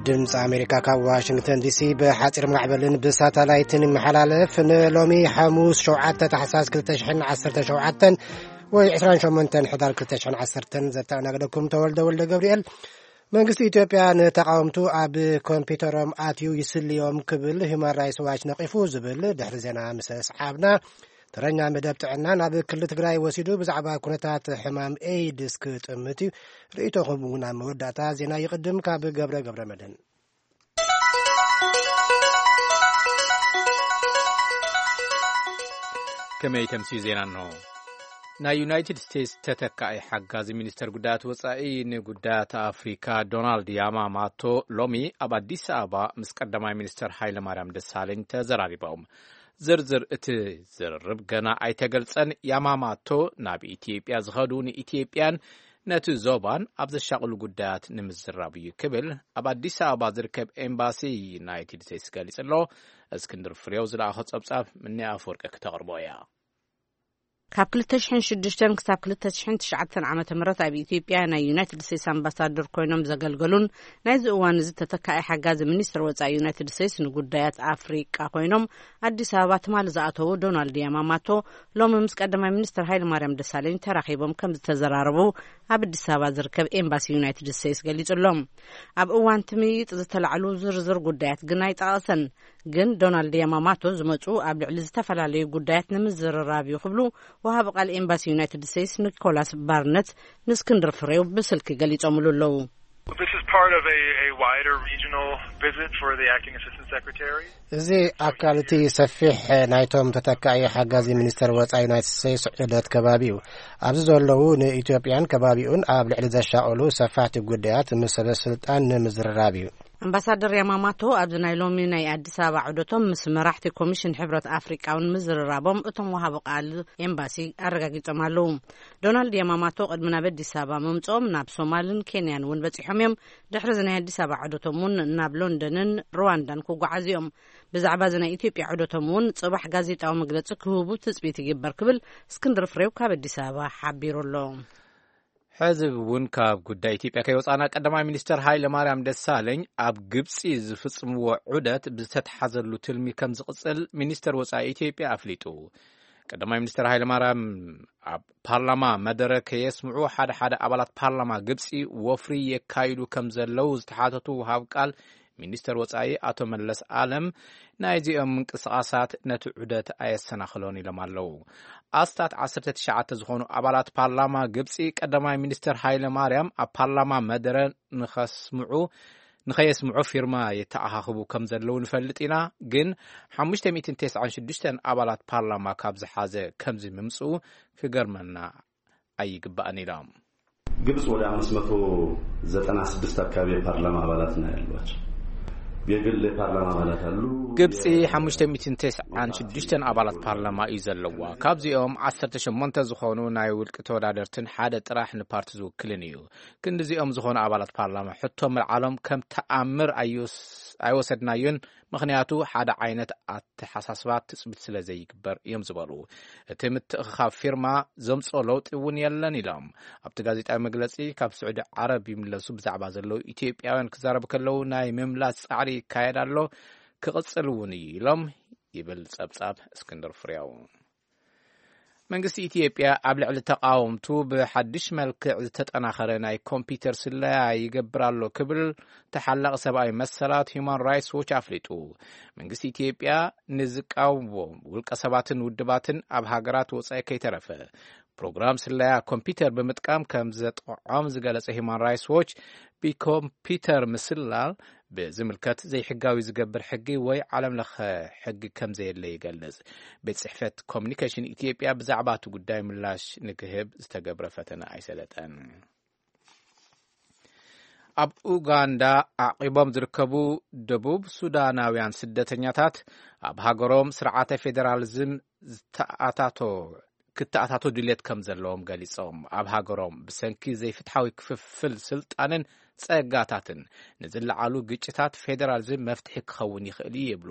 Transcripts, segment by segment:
ድምፂ ኣሜሪካ ካብ ዋሽንግተን ዲሲ ብሓፂር ማዕበልን ብሳተላይትን ይመሓላለፍ። ንሎሚ ሓሙስ ሸውዓተ ታሕሳስ ክልተ ሽሕን ዓሰርተ ሸውዓተን ወይ ዕስራን ሸሞንተን ሕዳር ክልተ ሽሕን ዓሰርተን ዘተኣናገደኩም ተወልደ ወልደ ገብርኤል። መንግስቲ ኢትዮጵያ ንተቃወምቱ ኣብ ኮምፒውተሮም ኣትዩ ይስልዮም ክብል ሂውማን ራይትስ ዋች ነቂፉ ዝብል ድሕሪ ዜና ምስ ሰዓብና፣ ተረኛ መደብ ጥዕና ናብ ክልል ትግራይ ወሲዱ ብዛዕባ ኩነታት ሕማም ኤይድስ ክጥምት እዩ። ርእይቶኹም እውን ኣብ መወዳእታ ዜና ይቕድም። ካብ ገብረ ገብረ መድህን። ከመይ ተምስዩ ዜና እንሆ። ናይ ዩናይትድ ስቴትስ ተተካኢ ሓጋዚ ሚኒስተር ጉዳያት ወጻኢ ንጉዳያት ኣፍሪካ ዶናልድ ያማማቶ ሎሚ ኣብ ኣዲስ ኣበባ ምስ ቀዳማይ ሚኒስተር ሃይለ ማርያም ደሳለኝ ተዘራሪቦም። ዝርዝር እቲ ዝርርብ ገና ኣይተገልጸን። ያማማቶ ናብ ኢትዮጵያ ዝኸዱ ንኢትዮጵያን ነቲ ዞባን ኣብ ዘሻቕሉ ጉዳያት ንምዝራብ እዩ ክብል ኣብ ኣዲስ ኣበባ ዝርከብ ኤምባሲ ዩናይትድ ስቴትስ ገሊጹ ኣሎ። እስክንድር ፍሬው ዝለኣኾ ጸብጻብ ምንያ ኣፈወርቂ ክተቕርቦ እያ። ካብ ክልተ ሽሕን ሽዱሽተን ክሳብ ክልተ ሽሕን ትሽዓተን ዓመተ ምህረት ኣብ ኢትዮጵያ ናይ ዩናይትድ ስቴትስ ኣምባሳደር ኮይኖም ዘገልገሉን ናይዚ እዋን እዚ ተተካኢ ሓጋዚ ሚኒስትር ወጻኢ ዩናይትድ ስቴትስ ንጉዳያት ኣፍሪቃ ኮይኖም ኣዲስ ኣበባ ትማሊ ዝኣተዉ ዶናልድ ያማማቶ ሎሚ ምስ ቀዳማይ ሚኒስትር ሃይለ ማርያም ደሳለኝ ተራኺቦም ከም ዝተዘራረቡ ኣብ ኣዲስ ኣበባ ዝርከብ ኤምባሲ ዩናይትድ ስቴትስ ገሊጹ ኣሎ። ኣብ እዋን እቲ ምይይጥ ዝተላዕሉ ዝርዝር ጉዳያት ግን ኣይጠቐሰን። ግን ዶናልድ ያማማቶ ዝመጹ ኣብ ልዕሊ ዝተፈላለዩ ጉዳያት ንምዝርራብ እዩ ክብሉ ወሃቢ ቃል ኤምባሲ ዩናይትድ ስቴትስ ኒኮላስ ባርነት ንእስክንድር ፍሬው ብስልኪ ገሊጾምሉ ኣለዉ። This is part of a, a wider regional visit for the acting assistant secretary. እዚ ኣካል እቲ ሰፊሕ ናይቶም ተተካኢ ሓጋዚ ሚኒስተር ወጻኢ ዩናይትድ ስቴትስ ዑደት ከባቢ እዩ። ኣብዚ ዘለዉ ንኢትዮጵያን ከባቢኡን ኣብ ልዕሊ ዘሻቐሉ ሰፋሕቲ ጉዳያት ምስ ሰበ ስልጣን ንምዝርራብ እዩ። ኣምባሳደር ያማማቶ ኣብዚ ናይ ሎሚ ናይ ኣዲስ ኣበባ ዑደቶም ምስ መራሕቲ ኮሚሽን ሕብረት ኣፍሪቃ እውን ምዝርራቦም እቶም ወሃቢ ቃል ኤምባሲ ኣረጋጊጾም ኣለዉ። ዶናልድ ያማማቶ ቅድሚ ናብ ኣዲስ ኣበባ ምምጽኦም ናብ ሶማልን ኬንያን እውን በጺሖም እዮም። ድሕሪ እዚ ናይ ኣዲስ ኣበባ ዑደቶም እውን ናብ ሎንደንን ሩዋንዳን ክጓዓዙ እዮም። ብዛዕባ እዚ ናይ ኢትዮጵያ ዑደቶም እውን ጽባሕ ጋዜጣዊ መግለጺ ክህቡ ትጽቢት ይግበር ክብል እስክንድር ፍሬው ካብ ኣዲስ ኣበባ ሓቢሩ ኣሎ። ሕዚ እውን ካብ ጉዳይ ኢትዮጵያ ከይወጻና ቀዳማይ ሚኒስተር ሃይለ ማርያም ደሳለኝ ኣብ ግብጺ ዝፍጽምዎ ዑደት ብዝተተሓዘሉ ትልሚ ከም ዝቕጽል ሚኒስተር ወጻኢ ኢትዮጵያ ኣፍሊጡ። ቀዳማይ ሚኒስተር ሃይለ ማርያም ኣብ ፓርላማ መደረ ከየስምዑ ሓደ ሓደ ኣባላት ፓርላማ ግብጺ ወፍሪ የካይዱ ከም ዘለዉ ዝተሓተቱ ወሃብ ቃል ሚኒስተር ወጻኢ ኣቶ መለስ ኣለም ናይዚኦም ምንቅስቓሳት ነቲ ዑደት ኣየሰናኽሎን ኢሎም ኣለዉ። ኣስታት ዓሰርተ ትሽዓተ ዝኾኑ ኣባላት ፓርላማ ግብጺ ቀዳማይ ሚኒስተር ሃይለ ማርያም ኣብ ፓርላማ መደረ ንኸስምዑ ንኸየስምዑ ፊርማ የተኣኻኽቡ ከም ዘለዉ ንፈልጥ ኢና፣ ግን ሓሙሽተ ሚእትን ተስዓን ሽዱሽተን ኣባላት ፓርላማ ካብ ዝሓዘ ከምዚ ምምጽኡ ክገርመና ኣይግባእን ኢሎም። ግብጽ ወደ አምስት መቶ ዘጠና ስድስት አካባቢ የፓርላማ አባላት ነው ያሏቸው። የግል የፓርላማ አባላት አሉ። ግብጺ ሓሙሽተ ሚእትን ተስዓን ሽዱሽተን ኣባላት ፓርላማ እዩ ዘለዋ። ካብዚኦም ዓሰርተ ሸሞንተ ዝኾኑ ናይ ውልቂ ተወዳደርትን ሓደ ጥራሕ ንፓርቲ ዝውክልን እዩ። ክንዲዚኦም ዝኾኑ ኣባላት ፓርላማ ሕቶ ምልዓሎም ከም ተኣምር ኣይወስ-፣ ኣይወሰድናዮን፣ ምኽንያቱ ሓደ ዓይነት ኣተሓሳስባ ትጽቢት ስለ ዘይግበር እዮም ዝበሉ። እቲ ምትእኽኻብ ፊርማ ዘምጽኦ ለውጢ እውን የለን ኢሎም። ኣብቲ ጋዜጣዊ መግለጺ ካብ ስዑዲ ዓረብ ይምለሱ ብዛዕባ ዘለዉ ኢትዮጵያውያን ክዛረቡ ከለዉ ናይ ምምላስ ጻዕሪ ይካየድ ኣሎ፣ ክቕጽል እውን እዩ ኢሎም ይብል ጸብጻብ እስክንድር ፍሬው። መንግስቲ ኢትዮጵያ ኣብ ልዕሊ ተቃወምቱ ብሓድሽ መልክዕ ዝተጠናኸረ ናይ ኮምፒውተር ስለያ ይገብር ኣሎ ክብል ተሓላቂ ሰብኣዊ መሰላት ሂውማን ራይትስ ዎች ኣፍሊጡ። መንግስቲ ኢትዮጵያ ንዝቃወምዎ ውልቀ ሰባትን ውድባትን ኣብ ሃገራት ወጻኢ ከይተረፈ ፕሮግራም ስለያ ኮምፒውተር ብምጥቃም ከም ዘጥቕዖም ዝገለጸ ሂውማን ራይትስ ዎች፣ ብኮምፒውተር ምስላል ብዝምልከት ዘይሕጋዊ ዝገብር ሕጊ ወይ ዓለም ለኸ ሕጊ ከም ዘየለ ይገልጽ። ቤት ጽሕፈት ኮሚኒኬሽን ኢትዮጵያ ብዛዕባ እቲ ጉዳይ ምላሽ ንክህብ ዝተገብረ ፈተነ ኣይሰለጠን። ኣብ ኡጋንዳ ዓቂቦም ዝርከቡ ደቡብ ሱዳናውያን ስደተኛታት ኣብ ሃገሮም ስርዓተ ፌዴራሊዝም ዝተኣታቶ ክተኣታቶ ድልየት ከም ዘለዎም ገሊጾም፣ ኣብ ሃገሮም ብሰንኪ ዘይፍትሓዊ ክፍፍል ስልጣንን ጸጋታትን ንዝለዓሉ ግጭታት ፌደራሊዝም መፍትሒ ክኸውን ይኽእል እዩ ይብሉ።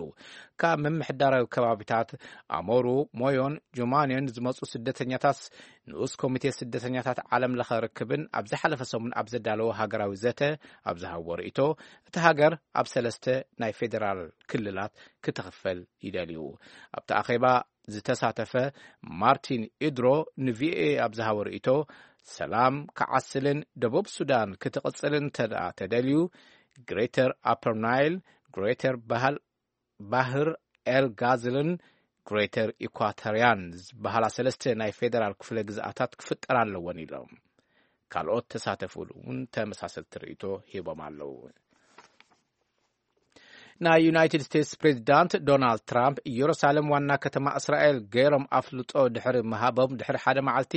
ካብ ምምሕዳራዊ ከባቢታት ኣሞሩ፣ ሞዮን ጁማንዮን ዝመጹ ስደተኛታት ንኡስ ኮሚቴ ስደተኛታት ዓለም ለኸ ርክብን ኣብ ዝሓለፈ ሰሙን ኣብ ዘዳለዎ ሃገራዊ ዘተ ኣብ ዝሃቦ ርእይቶ፣ እቲ ሃገር ኣብ ሰለስተ ናይ ፌደራል ክልላት ክትኽፈል ይደልዩ። ኣብቲ ኣኼባ ዝተሳተፈ ማርቲን ኢድሮ ንቪኦኤ ኣብ ዝሃቦ ርእይቶ፣ ሰላም ክዓስልን ደቡብ ሱዳን ክትቕጽልን እንተ ደኣ ተደልዩ፣ ግሬተር ኣፐር ናይል፣ ግሬተር ባህል፣ ባህር ኤል ጋዝልን ግሬተር ኢኳቶሪያን ዝበሃላ ሰለስተ ናይ ፌደራል ክፍለ ግዝኣታት ክፍጠር ኣለወን ኢሎም። ካልኦት ተሳተፉ እውን ተመሳሰልቲ ርእይቶ ሂቦም ኣለዉ። ናይ ዩናይትድ ስቴትስ ፕሬዚዳንት ዶናልድ ትራምፕ ኢየሩሳሌም ዋና ከተማ እስራኤል ገይሮም ኣፍልጦ ድሕሪ ምሃቦም ድሕሪ ሓደ መዓልቲ፣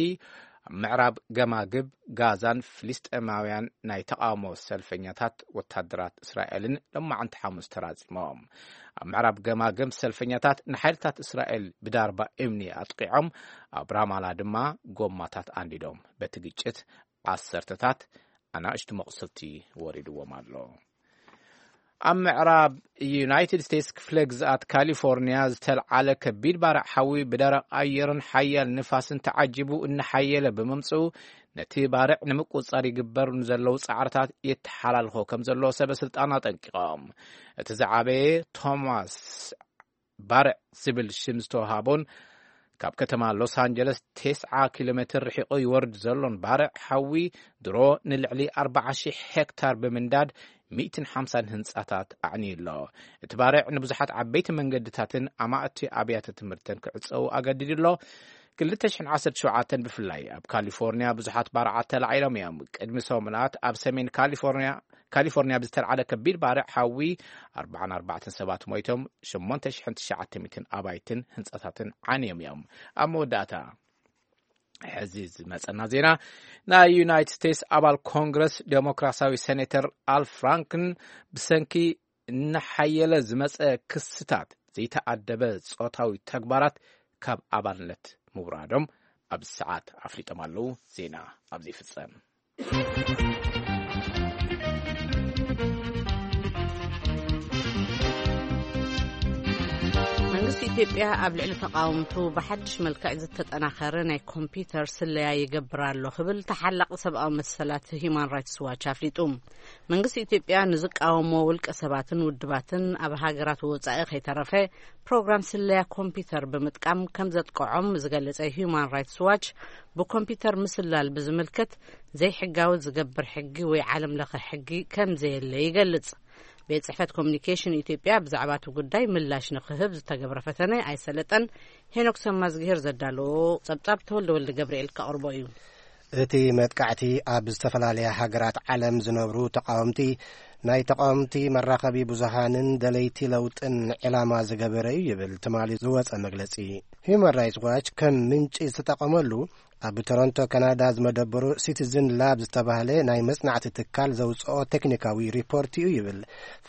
ኣብ ምዕራብ ገማግብ ጋዛን ፍልስጤማውያን ናይ ተቓውሞ ሰልፈኛታት ወታደራት እስራኤልን ሎማዕንቲ ሓሙስ ተራጺሞም። ኣብ ምዕራብ ገማግብ ሰልፈኛታት ንሓይልታት እስራኤል ብዳርባ እምኒ ኣጥቂዖም፣ ኣብ ራማላ ድማ ጎማታት ኣንዲዶም። በቲ ግጭት ዓሰርተታት ኣናእሽቱ መቑሰልቲ ወሪድዎም ኣሎ። ኣብ ምዕራብ ዩናይትድ ስቴትስ ክፍለ ግዝኣት ካሊፎርኒያ ዝተልዓለ ከቢድ ባርዕ ሓዊ ብደረቕ ኣየርን ሓያል ንፋስን ተዓጂቡ እናሓየለ ብምምፅኡ፣ ነቲ ባርዕ ንምቁፅፃር ይግበር ንዘለዉ ፃዕርታት የተሓላልኾ ከም ዘሎ ሰበ ስልጣን ኣጠንቂቖም። እቲ ዝዓበየ ቶማስ ባርዕ ዝብል ሽም ዝተዋሃቦን ካብ ከተማ ሎስ ኣንጀለስ ተስዓ ኪሎ ሜትር ርሒቑ ይወርድ ዘሎን ባርዕ ሓዊ ድሮ ንልዕሊ ኣርባዓ ሺሕ ሄክታር ብምንዳድ ሚእትን ሓምሳን ህንጻታት ኣዕንዩ ኣሎ። እቲ ባርዕ ንብዙሓት ዓበይቲ መንገድታትን ኣማእቲ ኣብያተ ትምህርትን ክዕጸዉ ኣገዲዱ ኣሎ። ክልተ ሽሕን ዓሰርተ ሸውዓተን ብፍላይ ኣብ ካሊፎርኒያ ብዙሓት ባርዓት ተላዒሎም እዮም። ቅድሚ ሰሙናት ኣብ ሰሜን ካሊፎርኒያ ካሊፎርኒያ ብዝተልዓለ ከቢድ ባርዕ ሓዊ ኣርባዓን ኣርባዕተን ሰባት ሞይቶም፣ ሸሞንተ ሽሕን ትሽዓተ ሚእትን ኣባይትን ህንጻታትን ዓንዮም እዮም። ኣብ መወዳእታ፣ ሕዚ ዝመጸና ዜና፣ ናይ ዩናይትድ ስቴትስ ኣባል ኮንግረስ ዴሞክራሲያዊ ሴኔተር ኣል ፍራንክን ብሰንኪ እናሓየለ ዝመጸ ክስታት ዘይተኣደበ ጾታዊ ተግባራት ካብ ኣባልነት ምውራዶም ኣብዚ ሰዓት ኣፍሊጦም ኣለዉ። ዜና ኣብዚ ይፍጸም። መንግስቲ ኢትዮጵያ ኣብ ልዕሊ ተቃወምቱ ብሓድሽ መልክዕ ዝተጠናኸረ ናይ ኮምፒውተር ስለያ ይገብር ኣሎ ክብል ተሓላቂ ሰብኣዊ መሰላት ሂዩማን ራይትስ ዋች ኣፍሊጡ። መንግስቲ ኢትዮጵያ ንዝቃወሞ ውልቀ ሰባትን ውድባትን ኣብ ሃገራት ወጻኢ ከይተረፈ ፕሮግራም ስለያ ኮምፒውተር ብምጥቃም ከም ዘጥቅዖም ዝገለጸ ሂዩማን ራይትስ ዋች፣ ብኮምፒውተር ምስላል ብዝምልከት ዘይሕጋዊ ዝገብር ሕጊ ወይ ዓለም ለኸ ሕጊ ከም ዘየለ ይገልጽ። ቤት ጽሕፈት ኮሚኒኬሽን ኢትዮጵያ ብዛዕባ እቲ ጉዳይ ምላሽ ንክህብ ዝተገብረ ፈተነ ኣይሰለጠን። ሄኖክ ሰማዝግሄር ዘዳለዎ ጸብጻብ ተወልደ ወልደ ገብርኤል ከቕርቦ እዩ። እቲ መጥቃዕቲ ኣብ ዝተፈላለያ ሃገራት ዓለም ዝነብሩ ተቃወምቲ፣ ናይ ተቃወምቲ መራኸቢ ብዙሃንን ደለይቲ ለውጥን ዕላማ ዝገበረ እዩ ይብል ትማሊ ዝወጸ መግለጺ። ሂዩማን ራይትስ ዋች ከም ምንጪ ዝተጠቐመሉ ኣብ ቶሮንቶ ካናዳ ዝመደበሩ ሲቲዝን ላብ ዝተባህለ ናይ መጽናዕቲ ትካል ዘውጽኦ ቴክኒካዊ ሪፖርት እዩ ይብል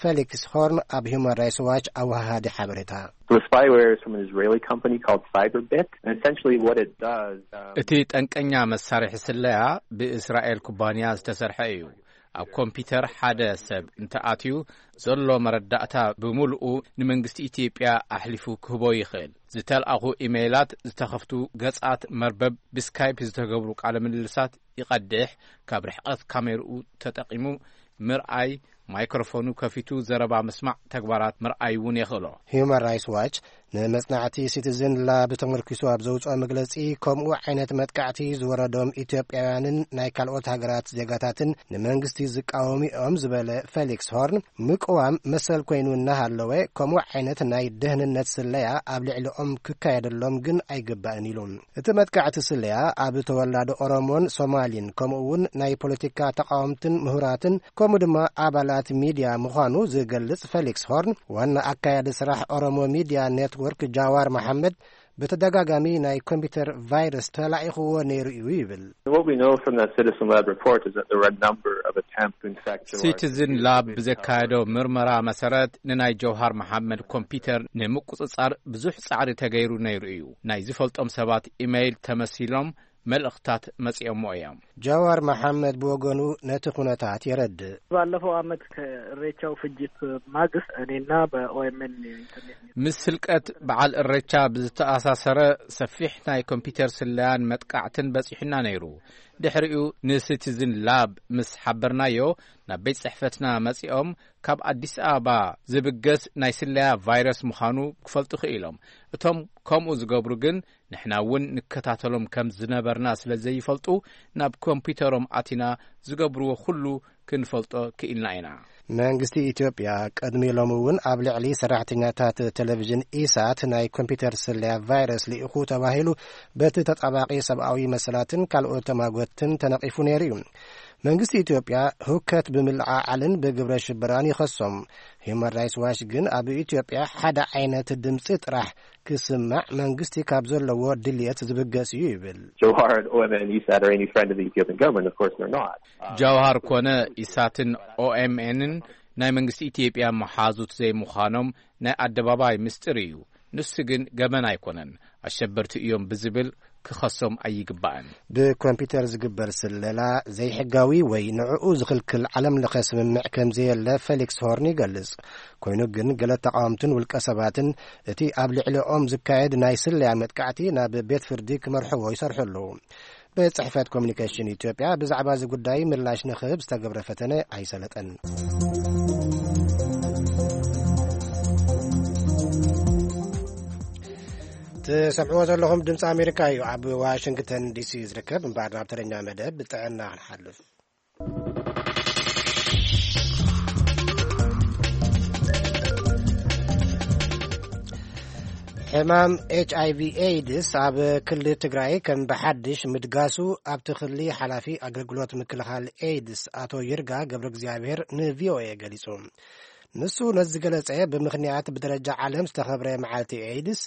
ፌሊክስ ሆርን ኣብ ሂዩማን ራይትስ ዋች ኣወሃሃዲ ሓበሬታ። So the spyware is from an Israeli company called Cyberbit. And essentially what it does, um, እቲ ጠንቀኛ መሳርሒ ስለያ ብእስራኤል ኩባንያ ዝተሰርሐ እዩ። ኣብ ኮምፒውተር ሓደ ሰብ እንተኣትዩ፣ ዘሎ መረዳእታ ብምሉኡ ንመንግስቲ ኢትዮጵያ ኣሕሊፉ ክህቦ ይኽእል። ዝተልኣኹ ኢሜይላት፣ ዝተኸፍቱ ገጻት መርበብ፣ ብስካይፕ ዝተገብሩ ቃለ ምልልሳት ይቐድሕ፣ ካብ ርሕቀት ካሜርኡ ተጠቒሙ ምርኣይ፣ ማይክሮፎኑ ከፊቱ ዘረባ ምስማዕ ተግባራት ምርኣይ እውን የኽእሎ። ሂዩማን ራይትስ ዋች ንመጽናዕቲ ሲቲዝን ላብ ተመርኪሱ ኣብ ዘውጽኦ መግለጺ፣ ከምኡ ዓይነት መጥቃዕቲ ዝወረዶም ኢትዮጵያውያንን ናይ ካልኦት ሃገራት ዜጋታትን ንመንግስቲ ዝቃወሙ እዮም ዝበለ ፌሊክስ ሆርን፣ ምቅዋም መሰል ኮይኑ እናሃለወ፣ ከምኡ ዓይነት ናይ ደህንነት ስለያ ኣብ ልዕሊኦም ክካየደሎም ግን ኣይግባእን ኢሉ። እቲ መጥቃዕቲ ስለያ ኣብ ተወላዶ ኦሮሞን ሶማሊን፣ ከምኡ እውን ናይ ፖለቲካ ተቃወምትን ምሁራትን፣ ከምኡ ድማ ኣባላት ሚድያ ምዃኑ ዝገልጽ ፌሊክስ ሆርን፣ ዋና ኣካያዲ ስራሕ ኦሮሞ ሚድያ ኔትወርክ ጃዋር መሓመድ፣ ብተደጋጋሚ ናይ ኮምፒውተር ቫይረስ ተላኢኽዎ ነይሩ እዩ ይብል። What we know from that Citizen Lab report is that there were a number of attempts to infect him. ሲቲዝን ላብ ብዘካየዶ ምርመራ መሰረት፣ ንናይ ጀውሃር መሓመድ ኮምፒውተር ንምቁጽጻር ብዙሕ ጻዕሪ ተገይሩ ነይሩ እዩ። ናይ ዝፈልጦም ሰባት ኢመይል ተመሲሎም መልእኽታት መጺኦሞ እዮም። ጀዋር መሓመድ ብወገኑ ነቲ ኩነታት የረድእ። ባለፈው ዓመት ከእሬቻው ፍጅት ማግስት እኔና በኦኤምኤን ኢንተርኔት ምስ ስልቀት በዓል እሬቻ ብዝተኣሳሰረ ሰፊሕ ናይ ኮምፒውተር ስለያን መጥቃዕትን በጺሑና ነይሩ። ድሕሪኡ ንሲቲዝን ላብ ምስ ሓበርናዮ፣ ናብ ቤት ጽሕፈትና መጺኦም ካብ ኣዲስ ኣበባ ዝብገስ ናይ ስለያ ቫይረስ ምዃኑ ክፈልጡ ክኢሎም። እቶም ከምኡ ዝገብሩ ግን ንሕና እውን ንከታተሎም ከም ዝነበርና ስለ ዘይፈልጡ፣ ናብ ኮምፒውተሮም ኣቲና ዝገብርዎ ኩሉ ክንፈልጦ ክኢልና ኢና። መንግስቲ ኢትዮጵያ ቅድሚ ሎሚ እውን ኣብ ልዕሊ ሰራሕተኛታት ቴሌቪዥን ኢሳት ናይ ኮምፒውተር ስለያ ቫይረስ ልኢኹ ተባሂሉ በቲ ተጣባቂ ሰብኣዊ መሰላትን ካልኦት ተማጎትን ተነቒፉ ነይሩ እዩ። መንግስቲ ኢትዮጵያ ህውከት ብምልዓዓልን ብግብረ ሽበራን ይኸሶም። ሂዩማን ራይትስ ዋች ግን ኣብ ኢትዮጵያ ሓደ ዓይነት ድምፂ ጥራሕ ክስማዕ መንግስቲ ካብ ዘለዎ ድልየት ዝብገስ እዩ ይብል። Johar and O M N and E sat or any friend of the Ethiopian government, of course they're not. ጃውሃር ኮነ ኢሳትን ኦኤምኤንን ናይ መንግስቲ ኢትዮጵያ መሓዙት ዘይምዃኖም ናይ ኣደባባይ ምስጢር እዩ። ንሱ ግን ገበን ኣይኮነን፣ ኣሸበርቲ እዮም ብዝብል ክኸሶም ኣይግባእን። ብኮምፒውተር ዝግበር ስለላ ዘይሕጋዊ ወይ ንዕኡ ዝኽልክል ዓለም ለኸ ስምምዕ ከም ዘየለ ፌሊክስ ሆርን ይገልጽ። ኮይኑ ግን ገለ ተቃወምትን ውልቀ ሰባትን እቲ ኣብ ልዕሊኦም ዝካየድ ናይ ስለያ መጥቃዕቲ ናብ ቤት ፍርዲ ክመርሕዎ ይሰርሑ ኣለዉ። ቤት ጽሕፈት ኮሚኒኬሽን ኢትዮጵያ ብዛዕባ እዚ ጉዳይ ምላሽ ንኽህብ ዝተገብረ ፈተነ ኣይሰለጠን። ትሰምዕዎ ዘለኹም ድምፂ ኣሜሪካ እዩ። ኣብ ዋሽንግተን ዲሲ ዝርከብ እምበኣር ናብ ተረኛ መደብ ጥዕና ክንሓልፍ። ሕማም ኤች ኣይ ቪ ኤድስ ኣብ ክልል ትግራይ ከም ብሓድሽ ምድጋሱ ኣብቲ ክልል ሓላፊ ኣገልግሎት ምክልኻል ኤድስ ኣቶ ይርጋ ገብረ እግዚኣብሔር ን ቪ ኦ ኤ ገሊጹ። ንሱ ነዚ ዝገለጸ ብምኽንያት ብደረጃ ዓለም ዝተኸብረ መዓልቲ ኤድስ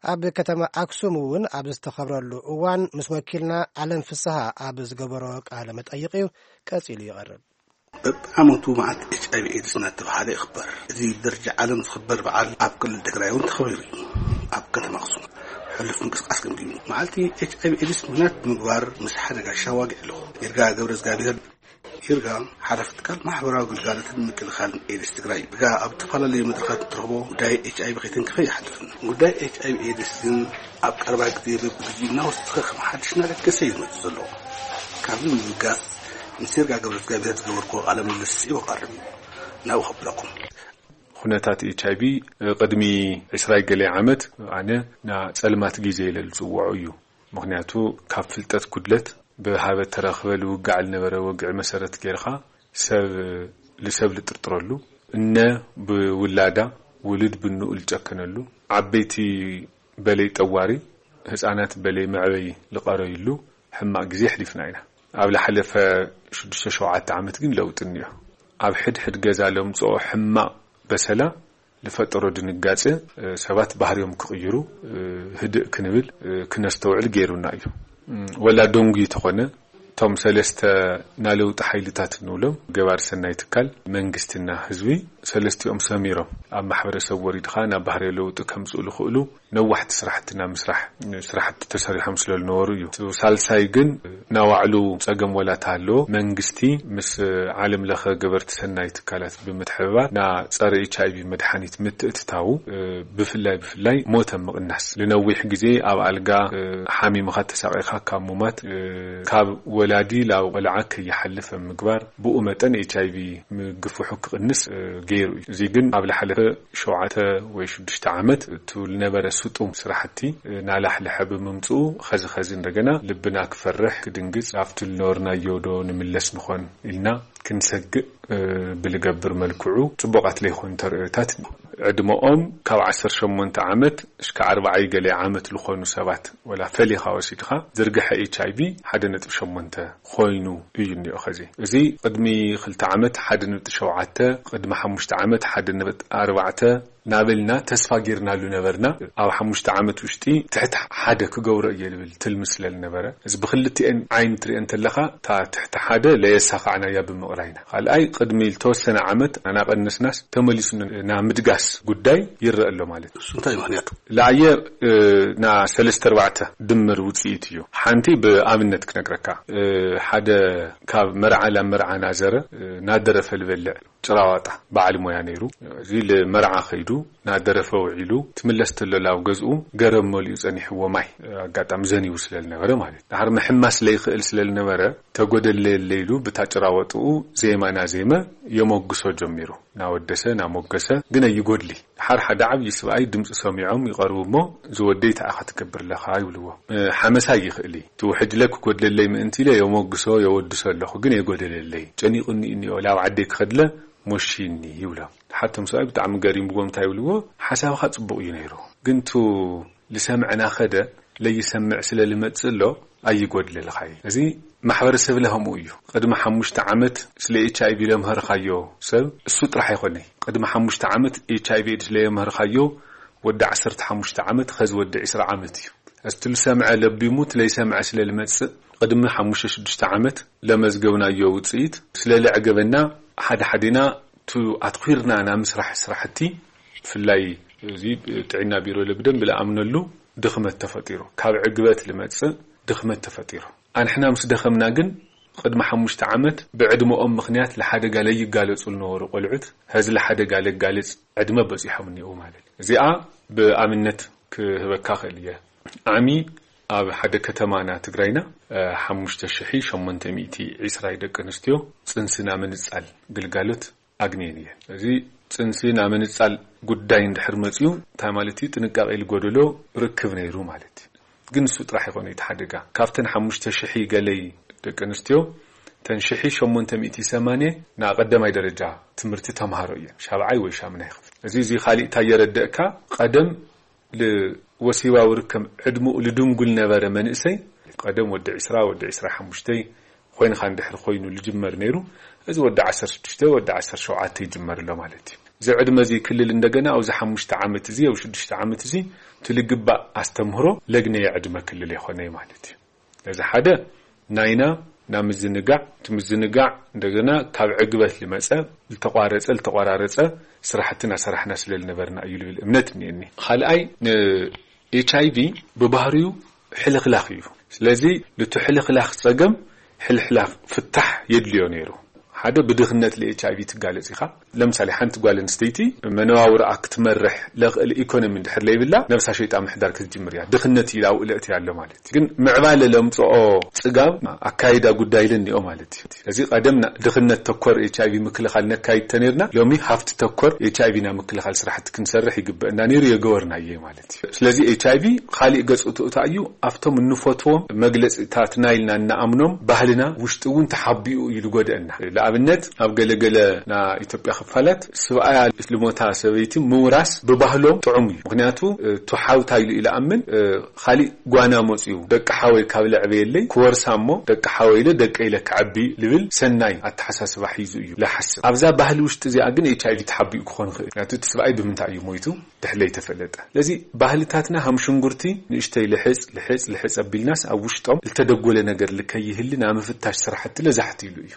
ኣብ ከተማ ኣክሱም እውን ኣብ ዝተኸብረሉ እዋን ምስ ወኪልና ኣለም ፍስሃ ኣብ ዝገበሮ ቃለ መጠይቕ እዩ ቀጺሉ ይቐርብ። በብዓመቱ መዓልቲ ኤች ኣይ ቪ ኤድስ እናተባሃለ ይኽበር። እዚ ብደረጃ ዓለም ዝኽበር በዓል ኣብ ክልል ትግራይ እውን ተኸቢሩ እዩ። ኣብ ከተማ ኣክሱም ሕሉፍ ምንቅስቃስ ገምጊሙ። መዓልቲ ኤች ኣይ ቪ ኤድስ ምኽንያት ብምግባር ምስ ሓደጋ ሻዋጊ ኣለኹ። ይርጋ ገብረ እግዚኣብሔር ይርጋ ሓላፊ ትካል ማሕበራዊ ግልጋሎትን ምክልኻልን ኤድስ ትግራይ። ይርጋ ኣብ ዝተፈላለዩ መድረኻት እትረኽቦ ጉዳይ ኤች ኣይ ቪ ከይተንከፈ ይሓልፍን። ጉዳይ ኤች ኣይ ቪ ኤድስ ግን ኣብ ቀረባ ግዜ በብግዚኡ እናወሰኸ ከም ሓድሽ እናለገሰ እዩ ዝመፅእ ዘሎ። ካብዚ ንምብጋስ ምስ ይርጋ ገብረ እግዚኣብሔር ዝገበርኩዎ ቃለ ምልልስ ይወቃርብ እዩ። ናብኡ ከብለኩም። ኩነታት ኤች ኣይ ቪ ቅድሚ ዕስራይ ገለ ዓመት ኣነ ና ጸልማት ግዜ ኢለ ዝጽውዖ እዩ። ምኽንያቱ ካብ ፍልጠት ጉድለት ብሃበ ተረኽበ ልውጋዕ ልነበረ ወግዒ መሰረት ጌርኻ ሰብ ልሰብ ልጥርጥረሉ፣ እነ ብውላዳ ውሉድ ብንኡ ልጨከነሉ፣ ዓበይቲ በለይ ጠዋሪ ህጻናት በለይ መዕበይ ልቐረዩሉ ሕማቕ ግዜ ኣሕሊፍና ኢና። ኣብ ልሓለፈ ሽዱሽተ ሸውዓተ ዓመት ግን ለውጢ እኒኦ። ኣብ ሕድሕድ ገዛ ለምጽኦ ሕማቕ በሰላ ልፈጠሮ ድንጋጸ ሰባት ባህርዮም ክቕይሩ ህድእ ክንብል ክነስተውዕል ገይሩና እዩ። ወላ ደንጉዩ ተኾነ እቶም ሰለስተ ናለውጢ ሓይልታት እንብሎም ገባር ሰናይ ትካል መንግስትና ህዝቢ ሰለስቲኦም ሰሚሮም ኣብ ማሕበረሰብ ወሪድኻ ናብ ባህርዮ ለውጢ ከምጽኡ ልኽእሉ ነዋሕቲ ስራሕቲ ናብ ምስራሕ ስራሕቲ ተሰሪሖም ስለ ዝነበሩ እዩ። እቲ ሳልሳይ ግን ናባዕሉ ጸገም ወላ ተሃለዎ መንግስቲ ምስ ዓለም ለኸ ገበርቲ ሰናይ ትካላት ብምትሕብባር ና ጸረ ኤች ኣይ ቪ መድሓኒት ምትእትታዉ ብፍላይ ብፍላይ ሞተ ምቕናስ ልነዊሕ ግዜ ኣብ ኣልጋ ሓሚምኻ ተሳቒኻ ካብ ሙማት ካብ ወላዲ ላብ ቆልዓ ከይሓልፍ ምግባር ብኡ መጠን ኤች ኣይ ቪ ምግፍሑ ክቕንስ ገይሩ እዩ። እዚ ግን ኣብ ልሓለፈ ሸውዓተ ወይ ሽዱሽተ ዓመት እቱ ልነበረ ስጡም ስራሕቲ ናላሕልሐ ብምምፅኡ ኸዚ ኸዚ እንደገና ልብና ክፈርሕ ክድንግፅ ኣብቲ ልነበርናዮ ዶ ንምለስ ንኾን ኢልና ክንሰግእ ብልገብር መልክዑ ፅቡቓት ለይኾኑ ተርእዮታት ዕድመኦም ካብ ዓሰርተ ሸሞንተ ዓመት እስከ ኣርባዓይ ገለ ዓመት ልኾኑ ሰባት ወላ ፈሊኻ ወሲድኻ ዝርግሐ ኤች ኣይ ቪ ሓደ ነጥቢ ሸሞንተ ኮይኑ እዩ እኒኦ። ኸዚ እዚ ቅድሚ ክልተ ዓመት ሓደ ነጥቢ ሸውዓተ፣ ቅድሚ ሓሙሽተ ዓመት ሓደ ነጥቢ ኣርባዕተ ናበልና ተስፋ ጌርናሉ ነበርና። ኣብ ሓሙሽተ ዓመት ውሽጢ ትሕቲ ሓደ ክገብሮ እየ ልብል ትልሚ ስለ ዝነበረ፣ እዚ ብክልቲኤን ዓይኒ ትሪኦ እንተለኻ፣ እታ ትሕቲ ሓደ ለየሳኻዕናያ ብምቕራይና፣ ካልኣይ ቅድሚ ዝተወሰነ ዓመት እናቐነስናስ ተመሊሱ ና ምድጋስ ጉዳይ ይረአ ኣሎ ማለት እዩ። እሱ እንታይ ምኽንያቱ? ለኣየ ና ሰለስተ ኣርባዕተ ድምር ውፅኢት እዩ። ሓንቲ ብኣብነት ክነግረካ፣ ሓደ ካብ መርዓ ላብ መርዓ ናዘረ ናደረፈ ልበልዕ ጭራዋጣ በዓል ሞያ ነይሩ። እዚ ልመርዓ ከይዱ ናደረፈ ውዒሉ ትምለስ ተሎ ላብ ገዝኡ ገረብ መሊኡ ጸኒሕዎ ማይ ኣጋጣሚ ዘኒቡ ስለ ዝነበረ ማለት እዩ። ድሓር ምሕማስ ለይኽእል ስለ ዝነበረ ተጎደለየለ ኢሉ ብታ ጭራወጥኡ ዜማ ናዜመ የመጉሶ ጀሚሩ። ናወደሰ ናሞገሰ ግን ኣይጎድሊ። ድሓር ሓደ ዓብዪ ስብኣይ ድምፂ ሰሚዖም ይቐርቡ እሞ ዝወደይ ተኣኻ ትገብር ኣለኻ ይብልዎ። ሓመሳ ይኽእል እዩ። ትውሕጅለ ክጎድለለይ ምእንቲ ኢለ የሞግሶ የወድሶ ኣለኹ ግን የጎደለለይ ጨኒቑኒ እኒኦ ላብ ዓደይ ክኸድለ ሞሺኒ ይብሎም። ሓቶም ሰብኣይ ብጣዕሚ ገሪምዎም እንታይ ይብልዎ፣ ሓሳብኻ ጽቡቕ እዩ ነይሩ፣ ግን ቱ ልሰምዕና ኸደ ለይሰምዕ ስለ ልመጽእ ኣሎ ኣይጎድለልኻይ። እዚ ማሕበረሰብ ለኸምኡ እዩ። ቅድሚ ሓሙሽተ ዓመት ስለ ኤች ኣይ ቪ ለምህርኻዮ ሰብ እሱ ጥራሕ ኣይኮነይ። ቅድሚ ሓሙሽተ ዓመት ኤች ኣይ ቪ ኤድስ ለየምህርኻዮ ወዲ ዓሰርተ ሓሙሽተ ዓመት ኸዚ ወዲ ዕስራ ዓመት እዩ። እስቲ ልሰምዐ ለቢሙ ትለይሰምዐ ስለ ልመጽእ ቅድሚ ሓሙሽተ ሽዱሽተ ዓመት ለመዝገብናዮ ውፅኢት ስለ ለዕገበና ሓደ ሓዴና ቱ ኣትኺርና ናብ ምስራሕ ስራሕቲ ብፍላይ እዚ ጥዕና ቢሮ ለብደን ብለኣምነሉ ድኽመት ተፈጢሩ ካብ ዕግበት ልመጽእ ድኽመት ተፈጢሩ ኣንሕና ምስ ደኸምና ግን ቅድሚ ሓሙሽተ ዓመት ብዕድመኦም ምኽንያት ለሓደጋ ለይጋለጹ ልነበሩ ቆልዑት ሀዚ ለሓደጋ ለጋልጽ ዕድመ በጺሖም እኒኡ ማለት እዚኣ ብኣብነት ክህበካ ክእል እየ ዓሚ ኣብ ሓደ ከተማና ትግራይና ሓሙሽተ ሽሕ ሸሞንተ ሚእቲ ዕስራ ደቂ ኣንስትዮ ፅንስና ምንፃል ግልጋሎት ኣግንየን እየን። እዚ ፅንስና ምንፃል ጉዳይ እንድሕር መፅዩ እንታይ ማለት እዩ? ጥንቃቄ ልጎደሎ ርክብ ነይሩ ማለት እዩ። ግን እሱ ጥራሕ ይኾነ እቲ ሓደጋ ካብተን ሓሙሽተ ሽሕ ገለይ ደቂ ኣንስትዮ ተን ሽሕ ሸሞንተ ሚእቲ ሰማንየ ንቀዳማይ ደረጃ ትምህርቲ ተምሃሮ እየን ሻብዓይ ወይ ሻምናይ ክፍል። እዚ እዚ ካሊእ እንታይ የረደእካ? ቀደም ልወሲባዊ ርከብ ዕድመኡ ልድንጉል ነበረ መንእሰይ ቀደም ወዲ ዕስራ ወዲ ዕስራ ሓሙሽተ ኮይንካ እንድሕር ኮይኑ ልጅመር ነይሩ እዚ ወዲ ዓሰርተ ሽዱሽተ ወዲ ዓሰርተ ሸውዓተ ይጅመር ኣሎ ማለት እዩ። እዚ ዕድመ እዚ ክልል እንደገና ኣብዚ ሓሙሽተ ዓመት እዚ ኣብ ሽዱሽተ ዓመት እዚ ትልግባእ ኣስተምህሮ ለግነየ ዕድመ ክልል የኾነ ማለት እዩ። ነዚ ሓደ ናይና ናብ ምዝንጋዕ እቲ ምዝንጋዕ እንደገና ካብ ዕግበት ልመፀ ልተቋረፀ ልተቋራረፀ ስራሕቲ ናሰራሕና ስለ ልነበርና እዩ ልብል እምነት እኒአኒ። ካልኣይ ኤች ኣይ ቪ ብባህሪኡ ሕልኽላኽ እዩ። ስለዚ ልቱ ሕልኽላኽ ፀገም ሕልሕላኽ ፍታሕ የድልዮ ነይሩ። ሓደ ብድኽነት ለ ኤች ኣይ ቪ ትጋለፅ ኢኻ። ለምሳሌ ሓንቲ ጓል ኣንስተይቲ መነባብሮኣ ክትመርሕ ለኽእል ኢኮኖሚ እንድሕር ለይብላ ነብሳ ሸይጣ ምሕዳር ክትጅምር እያ። ድኽነት ኢላ ኣብኡ ለእትያ ኣሎ ማለት እዩ። ግን ምዕባለ ለምፅኦ ፅጋብ ኣካይዳ ጉዳይ ለኒኦ ማለት እዩ። እዚ ቀደም ድኽነት ተኮር ኤች ኣይ ቪ ምክልኻል ነካይድ ተነይርና ሎሚ ሃፍቲ ተኮር ኤች ኣይ ቪ ና ምክልኻል ስራሕቲ ክንሰርሕ ይግበእና ነይሩ የገበርናየ ማለት እዩ። ስለዚ ኤች ኣይ ቪ ካሊእ ገፁ ትእታ እዩ ኣብቶም እንፈትዎም መግለፂታት ናይልና እናኣምኖም ባህልና ውሽጢ እውን ተሓቢኡ እዩ ልጎድአና። ንኣብነት ኣብ ገለገለ ና ኢትዮጵያ ክፋላት ስብኣያ ልሞታ ሰበይቲ ምውራስ ብባህሎም ጥዑም እዩ። ምክንያቱ ቱ ሓውታ ኢሉ ኢለኣምን ካሊእ ጓና መፅዩ ደቂ ሓወይ ካብ ለዕበየለይ ክወርሳ እሞ ደቂ ሓወይ ኢለ ደቂ ኢለ ክዓቢ ልብል ሰናይ ኣተሓሳስባ ሒዙ እዩ ልሓስብ። ኣብዛ ባህሊ ውሽጢ እዚኣ ግን ኤች ኣይ ቪ ተሓቢኡ ክኾን ይኽእል። ምክንያቱ እቲ ስብኣይ ብምንታይ እዩ ሞይቱ ድሕለይ ተፈለጠ። ስለዚ ባህልታትና ሃም ሽንጉርቲ ንእሽተይ ልሕፅ ልሕፅ ልሕፅ ኣቢልናስ ኣብ ውሽጦም ልተደጎለ ነገር ልከይህሊ ናምፍታሽ ስራሕቲ ለዛሕቲ ኢሉ እዩ።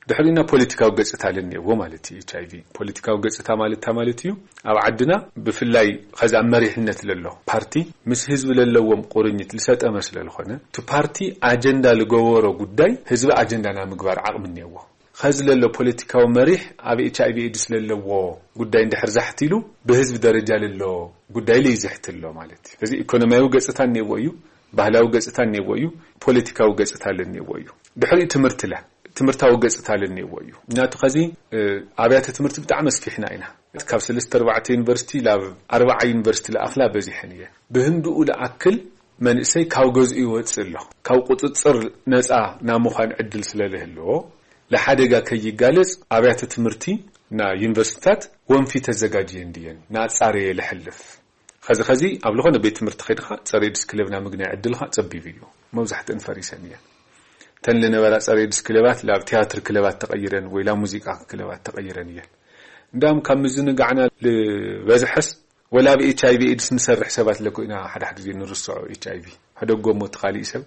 ድሕሪና ፖለቲካዊ ገጽታ ለኒኤዎ ማለት እዩ። ኤች ኣይ ቪ ፖለቲካዊ ገጽታ ማለት እንታይ ማለት እዩ? ኣብ ዓድና ብፍላይ ኸዚ ኣብ መሪሕነት ለሎ ፓርቲ ምስ ህዝቢ ለለዎም ቁርኝት ልሰጠመ ስለ ዝኾነ እቲ ፓርቲ ኣጀንዳ ልገበሮ ጉዳይ ህዝቢ ኣጀንዳ ናይ ምግባር ዓቕሚ እኒኤዎ። ኸዚ ለሎ ፖለቲካዊ መሪሕ ኣብ ኤች ኣይ ቪ ኤድስ ለለዎ ጉዳይ እንድሕር ዛሕት ኢሉ ብህዝቢ ደረጃ ለሎ ጉዳይ ለይዝሕት ኣሎ ማለት እዩ። እዚ ኢኮኖሚያዊ ገጽታ እኒኤዎ እዩ፣ ባህላዊ ገጽታ እኒኤዎ እዩ፣ ፖለቲካዊ ገጽታ ለኒኤዎ እዩ። ድሕሪኡ ትምህርቲ ለ ትምህርታዊ ገጽታ ለኒኤዎ እዩ። ምክንያቱ ኸዚ ኣብያተ ትምህርቲ ብጣዕሚ ኣስፊሕና ኢና። ካብ ሰለስተ ኣርባዕተ ዩኒቨርሲቲ ላብ ኣርባዓ ዩኒቨርሲቲ ለኣኽላ በዚሐን እየን። ብህንድኡ ለኣክል መንእሰይ ካብ ገዝኡ ይወፅእ ኣሎ። ካብ ቁፅፅር ነፃ ናብ ምዃን ዕድል ስለ ለህልዎ ለሓደጋ ከይጋለፅ ኣብያተ ትምህርቲ ና ዩኒቨርሲቲታት ወንፊ ተዘጋጅየን ድየን ናፃረየ ለሕልፍ። ኸዚ ኸዚ ኣብ ዝኾነ ቤት ትምህርቲ ኸይድኻ ጸረ ኤድስ ክለብ ናይ ምግናይ ዕድልኻ ጸቢብ እዩ። መብዛሕትእን ፈሪሰን እየን። እተን ልነበራ ጸረ ኤድስ ክለባት ላብ ቲያትር ክለባት ተቐይረን ወይ ላብ ሙዚቃ ክለባት ተቐይረን እየን። እንዳም ካብ ምዝንጋዕና ዝበዝሐስ ወላ ኣብ ኤች ኣይ ቪ ኤድስ ንሰርሕ ሰባት ለኮ ኢና ሓደ ሓደ ግዜ ንርስዖ። ኤች ኣይ ቪ ሕደጎ እሞ እቲ ካሊእ ሰብ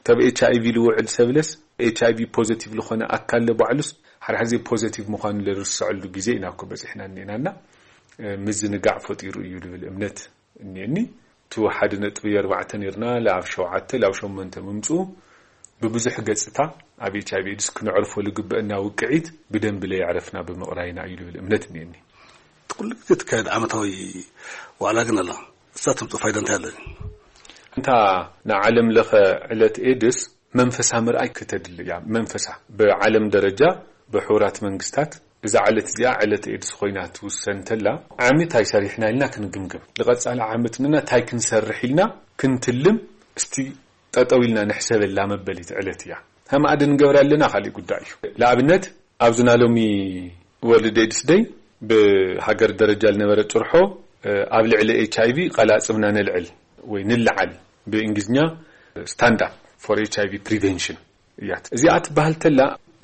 ተብ ኤች ኣይ ቪ ልውዕል ሰብለስ ኤች ኣይ ቪ ፖዘቲቭ ዝኾነ ኣካል ለባዕሉስ ሓደ ሓደ ግዜ ፖዘቲቭ ምዃኑ ለርስዐሉ ግዜ ኢና እኮ በፂሕና እኒኤናና ምዝንጋዕ ፈጢሩ እዩ ልብል እምነት እኒኤኒ። እቲ ሓደ ነጥቢ ኣርባዕተ ነርና ላብ ሸውዓተ ላብ ሸሞንተ ምምፅኡ ብብዙሕ ገፅታ ኣብ ኤች ኣይ ቪ ኤድስ ክነዕርፎ ልግበአና ውቅዒት ብደንቢ ለየዕረፍና ብምቕራይና እዩ ልብል እምነት እኒኤኒ። ኩሉ ግዜ ትካየድ ዓመታዊ ዋዕላ ግን ኣላ። እሳ ትምፅእ ፋይዳ እንታይ ኣለ? እንታ ንዓለም ለኸ ዕለት ኤድስ መንፈሳ ምርኣይ ክተድሊ እያ። መንፈሳ ብዓለም ደረጃ ብሕቡራት መንግስታት እዛ ዕለት እዚኣ ዕለት ኤድስ ኮይና ትውሰን እንተላ ዓሚ እንታይ ሰሪሕና ኢልና ክንግምግም፣ ንቐፃሊ ዓመት ንና እንታይ ክንሰርሕ ኢልና ክንትልም እስቲ ጠጠው ኢልና ንሕሰበላ መበሊት ዕለት እያ። ሃማኣደ ንገብራ ኣለና ካልእ ጉዳይ እዩ። ንኣብነት ኣብዚ ናይ ሎሚ ወርልድ ኤድስ ደይ ብሃገር ደረጃ ዝነበረ ጭርሖ ኣብ ልዕሊ ኤች ኣይ ቪ ቃላጽምና ነልዕል ወይ ንልዓል ብእንግሊዝኛ ስታንድ ኣፕ ፎር ኤች ኣይ ቪ ፕሪቨንሽን እያት እዚኣ ትበሃል ተላ።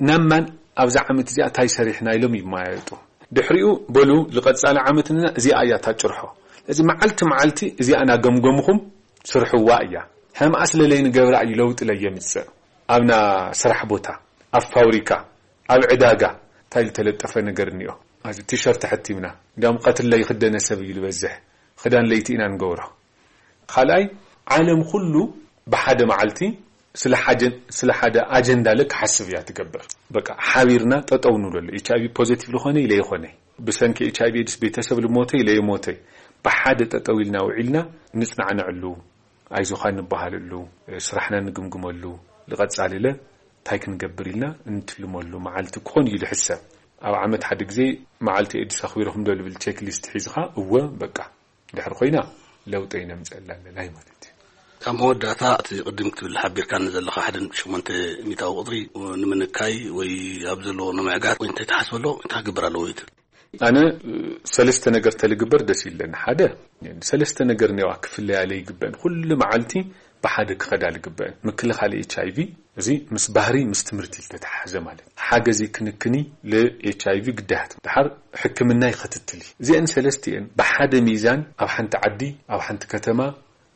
ናማን ኣብዛ ዓመት እዚኣ እንታይ ሰሪሕና ኢሎም ይመያየጡ። ድሕሪኡ በሉ ዝቐጻለ ዓመት ንና እዚኣ እያ ታጭርሖ። እዚ መዓልቲ መዓልቲ እዚኣ ናገምገምኹም ስርሕዋ እያ። ሕምኣ ስለለይ ንገብራ እዩ ለውጢ ለየምጽእ። ኣብና ስራሕ ቦታ፣ ኣብ ፋብሪካ፣ ኣብ ዕዳጋ እንታይ ዝተለጠፈ ነገር እኒኦ? እዚ ቲሸርት ተሐቲምና እንዲያውም ቀትር ለይኽደነ ሰብ እዩ ዝበዝሕ። ክዳን ለይቲ ኢና ንገብሮ። ካልኣይ ዓለም ኩሉ ብሓደ መዓልቲ ስለ ሓደ ስለ ሓደ ኣጀንዳ ለ ክሓስብ እያ ትገብር። በቃ ሓቢርና ጠጠው ንብለሉ። ኤች ኣይ ቪ ፖዚቲቭ ልኾነ ኢለ ይኾነ ብሰንኪ ኤች ኣይ ቪ ኤድስ ቤተሰብ ልሞተ ኢለ ይሞተ ብሓደ ጠጠው ኢልና ውዒልና ንጽናዕነዕሉ ኣይዞኻ ንበሃለሉ፣ ስራሕና ንግምግመሉ፣ ንቐጻሊ ለ እንታይ ክንገብር ኢልና እንትልመሉ መዓልቲ ክኾን እዩ ዝሕሰብ። ኣብ ዓመት ሓደ ግዜ መዓልቲ ኤድስ ኣኽቢርኹም ዶ ዝብል ቼክ ሊስት ሒዝኻ እወ በቃ ድሕሪ ኮይና ለውጠ ይነምፀላ ኣለላይ ማለት እዩ። ካብ መወዳእታ እቲ ቅድም ክትብል ሓቢርካኒ ዘለኻ ሓደ ነጥቢ ሸሞንተ ሚእታዊ ቁፅሪ ንምንካይ ወይ ኣብ ዘለዎ ንምዕጋት ወይ እንታይ ትሓስበሎ እንታይ ክግበር ኣለዎ ይትብል? ኣነ ሰለስተ ነገር ተልግበር ደስ ይለኒ። ሓደ ሰለስተ ነገር ኔዋ ክፍለያ ለይግበእን ኩሉ መዓልቲ ብሓደ ክኸዳ ልግበእን ምክልኻል ኤች ኣይ ቪ እዚ ምስ ባህሪ ምስ ትምህርቲ ዝተተሓዘ ማለት ሓገዚ ክንክኒ ል ኤች ኣይ ቪ ግዳያት ድሓር ሕክምናይ ኸትትል እዩ። እዚአን ሰለስቲአን ብሓደ ሚዛን ኣብ ሓንቲ ዓዲ ኣብ ሓንቲ ከተማ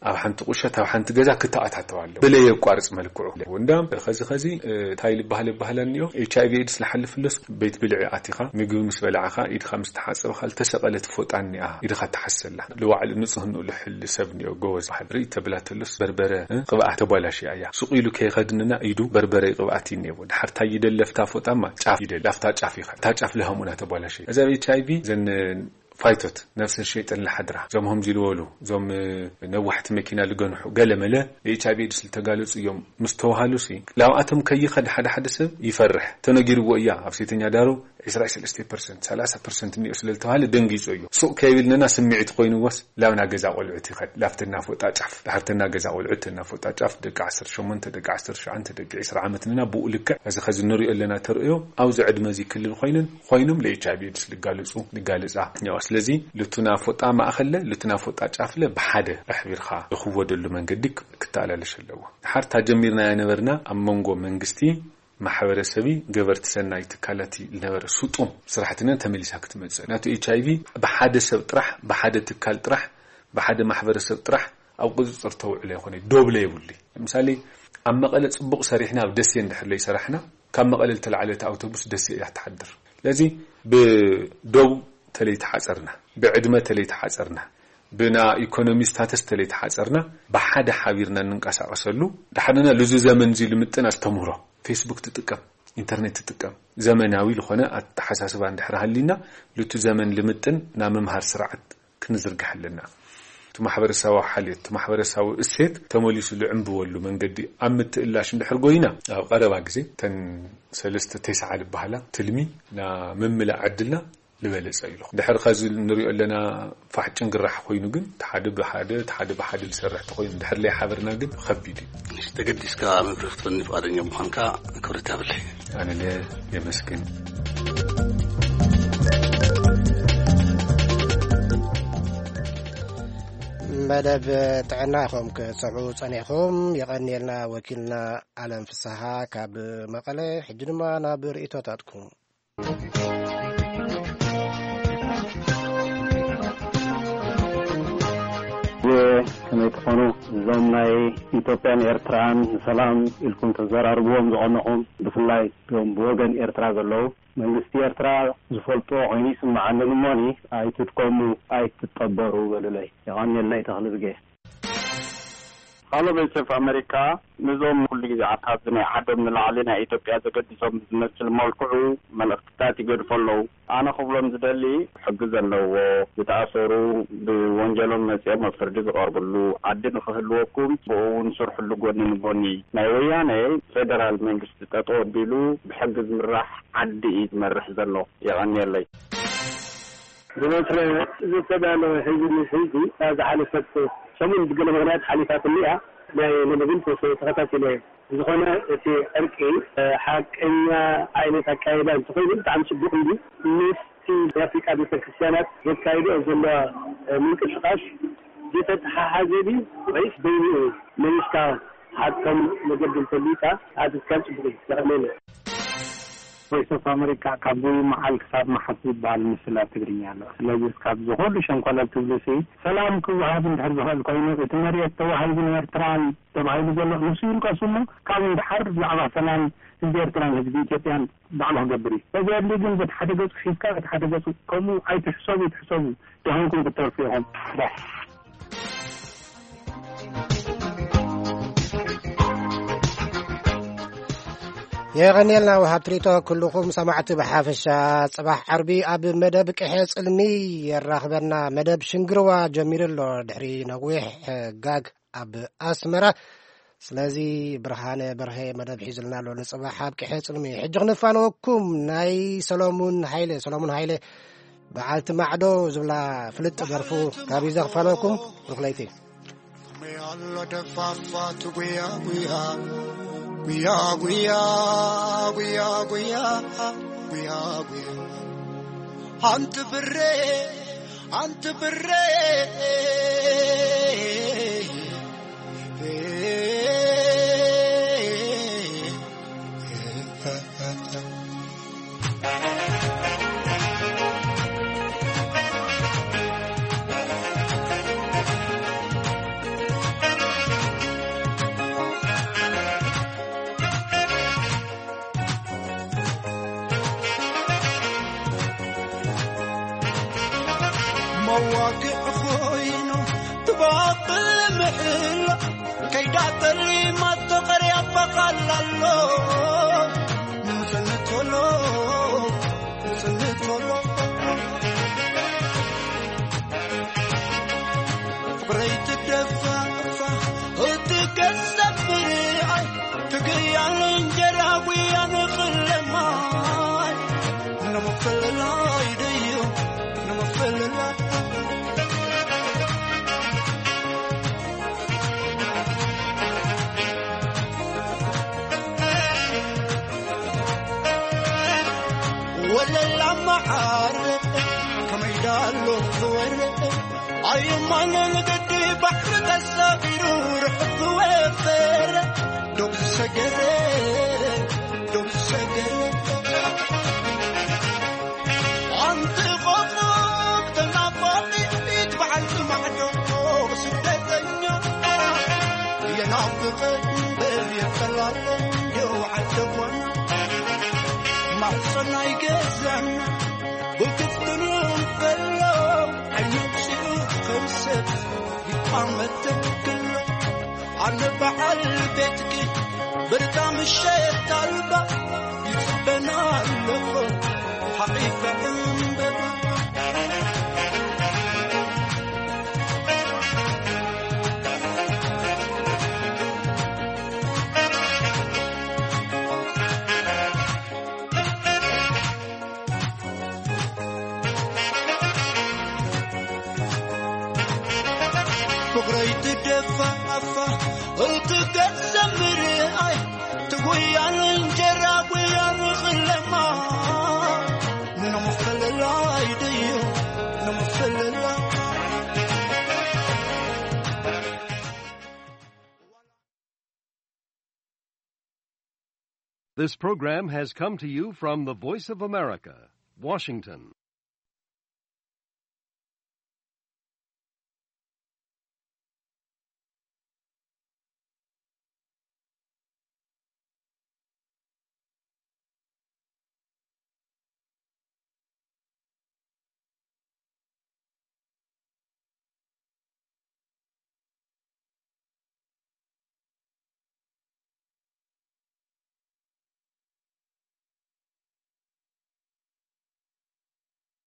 ኣብ ሓንቲ ቁሸት ኣብ ሓንቲ ገዛ ክተኣታተው ኣለዎ። ብለየቋርጽ መልክዑ እንዳ ኸዚ ኸዚ እንታይ ልበሃል ይበሃል እኒኦ ኤች ኣይ ቪ ኤድስ ልሓልፍለስ ቤት ብልዒ ኣቲኻ ምግቢ ምስ በላዕኻ ኢድኻ ምስ ተሓጸብኻ ልተሰቐለት ፎጣ እኒኣ ኢድኻ ተሓሰላ ልዋዕሊ ንጽህንኡ ልሕል ሰብ እኒኦ ጎበዝ በሃል ርኢ ተብላ ተሎስ በርበረ እ፣ ቅብኣት ተቧላሽያ እያ ሱቕ ኢሉ ከይኸድንና ኢዱ በርበረ ቅብኣት እዩ እኒኤዎ ድሓር ታይ ይደለፍታ ፎጣማ ጫፍ ይደል ላፍታ ጫፍ ይኸ እታ ጫፍ ልሃሙና ተቧላሽያ እዛ ኣብ ኤች ኣይ ቪ ዘን ፋይቶት ነፍሰ ሸይጠን ለሓድራ እዞም ሆምዚ ዝበሉ እዞም ነዋሕቲ መኪና ልገንሑ ገለ መለ ኤች ኣይ ቪ ኤድስ ልተጋለጹ እዮም ምስ ተባሃሉ ሲ ላብኣቶም ከይኸድ ሓደ ሓደ ሰብ ይፈርሕ ተነጊርዎ እያ ኣብ ሴተኛ ዳሩ ዕስራ ሰለስተ ፐርሰንት ሰላሳ ፐርሰንት እኒኦ ስለ ዝተባሃለ ደንጊጾ እዩ ሱቕ ከይብል ነና ስምዒት ኮይንዎስ ላብና ገዛ ቆልዑት ይኸድ ላብተና ፎጣ ጫፍ ድሕርተና ገዛ ቆልዑት ተና ፎጣ ጫፍ ደቂ ዓሰርተ ሸሞንተ ደቂ ዓሰርተ ትሽዓተ ደቂ ዕስራ ዓመት ነና ብኡ ልክዕ እዚ ኸዚ ንሪኦ ኣለና ተርእዮ ኣብዚ ዕድመ እዚ ክልል ኮይንን ኮይኖም ለ ኤች ኣይ ቪ ኤድስ ልጋለጹ ልጋለጻ እኒዋ ስለዚ ልቱና ፎጣ ማእኸለ ልቱና ፎጣ ጫፍለ ብሓደ ኣሕቢርካ ዝኽወደሉ መንገዲ ክተኣላለሽ ኣለዎ ሓርታ ጀሚርናያ ነበርና ኣብ መንጎ መንግስቲ ማሕበረሰቢ ገበርቲ ሰናይ ትካላት ዝነበረ ስጡም ስራሕትነ ተመሊሳ ክትመፅእ ናቱ ኤች ኣይ ቪ ብሓደ ሰብ ጥራሕ ብሓደ ትካል ጥራሕ ብሓደ ማሕበረሰብ ጥራሕ ኣብ ቁፅፅር ተውዕሎ ይኮነ ዶብለ የብሉ ምሳሌ ኣብ መቐለ ፅቡቕ ሰሪሕና ኣብ ደሴ እንድሕር ለይሰራሕና ካብ መቐለ ዝተላዕለት ኣውቶቡስ ደሴ እያ ትሓድር ስለዚ ብዶብ ተለይተሓፀርና ብዕድመ ተለይተሓፀርና ብና ኢኮኖሚ ስታተስ ተለይተሓፀርና ብሓደ ሓቢርና እንንቀሳቀሰሉ ድሓደና ልዙ ዘመን እዚ ልምጥን ኣስተምህሮ ፌስቡክ ትጥቀም ኢንተርኔት ትጥቀም ዘመናዊ ዝኾነ ኣተሓሳስባ እንድሕር ሃሊና ልቱ ዘመን ልምጥን ና ምምሃር ስርዓት ክንዝርግሕ ኣለና እቲ ማሕበረሰባዊ ሓልዮት እቲ ማሕበረሰባዊ እሴት ተመሊሱ ልዕንብበሉ መንገዲ ኣብ ምትእላሽ እንድሕር ጎይና ኣብ ቀረባ ግዜ ተን ሰለስተ ተስዓ ዝበሃላ ትልሚ ና ምምላእ ዕድልና ዝበለፀ ኢሉ ድሕር ከዚ ንሪኦ ኣለና ፋሕ ጭንግራሕ ኮይኑ ግን ሓደ ብሓደ ሓደ ብሓደ ዝሰርሕ ተኮይኑ ድሕር ለይ ሓበርና ግን ከቢድ እዩ ተገዲስካ መብርህ ክትፈኒ ፍቃደኛ ምኳንካ ክብረት ያብለይ ኣነ ለ የመስግን መደብ ጥዕና ኢኹም ክሰምዑ ጸኒሕኹም። የቐንየልና ወኪልና ኣለም ፍስሃ ካብ መቐለ። ሕጂ ድማ ናብ ርእይቶታትኩም። ከመይ ትኾኑ? እዞም ናይ ኢትዮጵያን ኤርትራን ንሰላም ኢልኩም ተዘራርብዎም ዝቐነኹም፣ ብፍላይ እቶም ብወገን ኤርትራ ዘለዉ፣ መንግስቲ ኤርትራ ዝፈልጦ ኮይኑ ይስምዓኒ። እሞኒ ኣይትድከሙ፣ ኣይትጠበሩ በሉለይ። የቐንየለይ። ተኽልዝጌ። ሃሎ፣ ቮይስ ኦፍ ኣሜሪካ። ንዞም ኩሉ ግዜ ኣብታብዚ ናይ ዓዶም ንላዕሊ ናይ ኢትዮጵያ ዘገድሶም ብዝመስል መልክዑ መልእኽትታት ይገድፉ ኣለዉ። ኣነ ክብሎም ዝደሊ፣ ሕጊ ዘለዎ፣ ዝተኣሰሩ፣ ብወንጀሎም መጺኦም ኣብ ፍርዲ ዝቐርብሉ ዓዲ ንኽህልወኩም፣ ብኡ እውን ስርሕሉ ጎኒ ንጎኒ። ናይ ወያነ ፌደራል መንግስቲ ጠጠው ኣቢሉ ብሕጊ ዝምራሕ ዓዲ እዩ ዝመርሕ ዘሎ። የቐንየለይ። ብበትረ ዝተዳለወ ሕዚ ምስ ሕዚ፣ እታ ዝሓለፈት ሰሙን ብገለ ምኽንያት ሓሊፋትኒ እያ። ናይ ሎሚ ግን ተኸታቲለ እየ። ብዝኾነ እቲ ዕርቂ፣ እ፣ ሓቀኛ ዓይነት ኣካይዳ እንተኾይኑ ብጣዕሚ ጽቡቕ እዩ። ምስቲ ናይ ኣፍሪቃ ቤተክርስትያናት ዘካይድኦ ዘለዋ፣ እ፣ ምንቅስቃስ ዝተተሓሓዘ ድዩ ወይስ በይኑ እዩ? መሊስካ ሓቅቶም መገዲ እንተሊካ ኣትትካል ጽቡቕ እዩ። የቐንየለይ። ቮይስ ኦፍ ኣሜሪካ ካብ መዓል ክሳብ መሓስ ዝበሃል ምስላ ትግርኛ ኣሎ። ስለዚ ካብ ዝኾሉ ሸንኮለል ትብሉ ሲ ሰላም ክወሃብ እንድሕር ዝኽእል ኮይኑ እቲ መሬት ተዋሂቡ ንኤርትራን ተባሂሉ ዘሎ ንሱ ይልቀሱ እሞ ካብ እንድሓር ብዛዕባ ሰላም ህዝቢ ኤርትራን ህዝቢ ኢትዮጵያን ባዕሉ ክገብር እዩ። በዚ ኣድሊ ግን በቲ ሓደ ገጹ ሒዝካ በቲ ሓደ ገጹ ከምኡ ኣይትሕሰቡ፣ ይትሕሰቡ ደኸምኩም ክትተርፉ ኢኹም። የቐንየልና ወሃብ ትሪቶ ኩልኹም ሰማዕቲ ብሓፈሻ። ጽባሕ ዓርቢ ኣብ መደብ ቅሐ ጽልሚ የራኽበና። መደብ ሽንግርዋ ጀሚሩ ኣሎ ድሕሪ ነዊሕ ጋግ ኣብ ኣስመራ። ስለዚ ብርሃነ በርሀ መደብ ሒዙልና ኣሎ ንጽባሕ ኣብ ቅሐ ጽልሚ። ሕጂ ክንፋነወኩም ናይ ሰሎሙን ሃይለ፣ ሰሎሙን ሃይለ በዓልቲ ማዕዶ ዝብላ ፍልጥ ደርፉ ካብ ይዘኽፈለኩም ሩኽለይቲ። መያሎ ደፋፋት ጉያ ጉያ ጉያ ጉያ ጉያ ጉያ ጉያ ጉያ ኣንቲ ብሬ ኣንቲ ብሬ መዋግዕ ኮይኑ ትባቕል ምሕላ ከይዳ ጠሊማ ተቐርያ በቓላሎ ምጽንቶሎ ምጽንቶሎ ብረይ ትደፋፋ እቲ ገጸ ብርኣይ ትግያል እንጀራ ጉያ ንኽለማይ ንምፍልላይ ድዩ ንምፍልላይ ወለላ መዓር ከመይ ዳሎ ክወርድ ኣይማነ ንግዲ ባሕሪ ተሳፊሩ ርሑፍ ዝወፈረ ዶብ ዝሰገረ ዶብ ዝሰገረ ኣንቲ ቆፎ ተናፋቂት በዓልቲ ማዕዶ ስደተኛ የናፍቀ እምበር የጠላለ እንዲው ዓደቦና ማሕፀናይ ገዛና ብክፍትሉ እንከሎ ዓይኒ ኣውፂኡ ከም ሰብ ይቋመት ክሎ ኣነ በዓል ቤትኪ ብርታ ምሸት ኣልባ ይፅበና ኣለኹ ሓቒፈ ዕምበባ ፍቕረይ ትደፋፋ እቲ ገጸ ምርኣይ ትጉያን እንጀራ ጉያን ኽለማ ንምፍልላይ ድዩ ንምፍልላይ This program has come to you from the Voice of America, Washington.